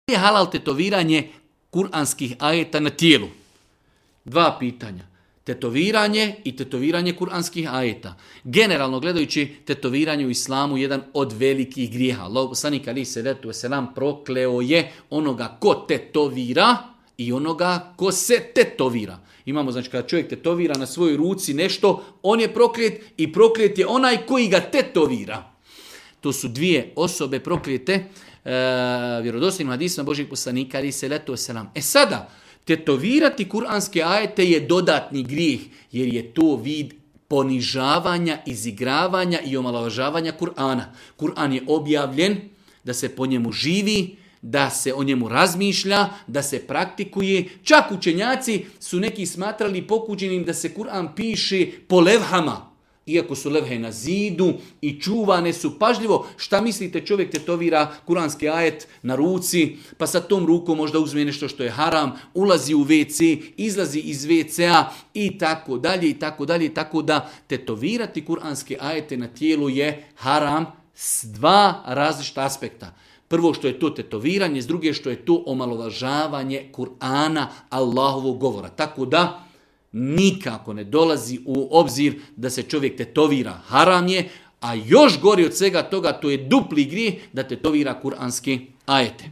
je halal tetoviranje kuranskih ajeta na tijelu? 2 pitanja. Tetoviranje i tetoviranje kuranskih ajeta. Generalno gledajući, tetoviranje u islamu je jedan od velikih grijeha. Allahov poslanik alejhi selatu vesselam prokleo je onoga ko tetovira i onoga ko se tetovira. Imamo, znači, kada čovjek tetovira na svojoj ruci nešto, on je proklet i proklet je onaj koji ga tetovira. To su 2 osobe proklijete vjerodostojnim hadisima Božjeg poslanika alejhi selatu vesselam. Sada, tetovirati kuranske ajete je dodatni grijeh, jer je to vid ponižavanja, izigravanja i omalovažavanja Kur'ana. Kur'an je objavljen da se po njemu živi, da se o njemu razmišlja, da se praktikuje. Čak učenjaci su neki smatrali pokuđenim da se Kur'an piše po levhama. Iako su levhe na zidu i čuvane su pažljivo. Šta mislite, čovjek tetovira kuranski ajet na ruci, pa sa tom rukom možda uzme nešto što je haram, ulazi u WC, izlazi iz WC-a i tako dalje i tako dalje. Tako da tetovirati kuranske ajete na tijelu je haram s 2 različita aspekta. Prvo što je to tetoviranje, s druge što je to omalovažavanje Kur'ana, Allahovog govora. Tako da nikako ne dolazi u obzir da se čovjek tetovira. Haram je, a još gori od svega toga, to je dupli grijeh da tetovira kuranske ajete.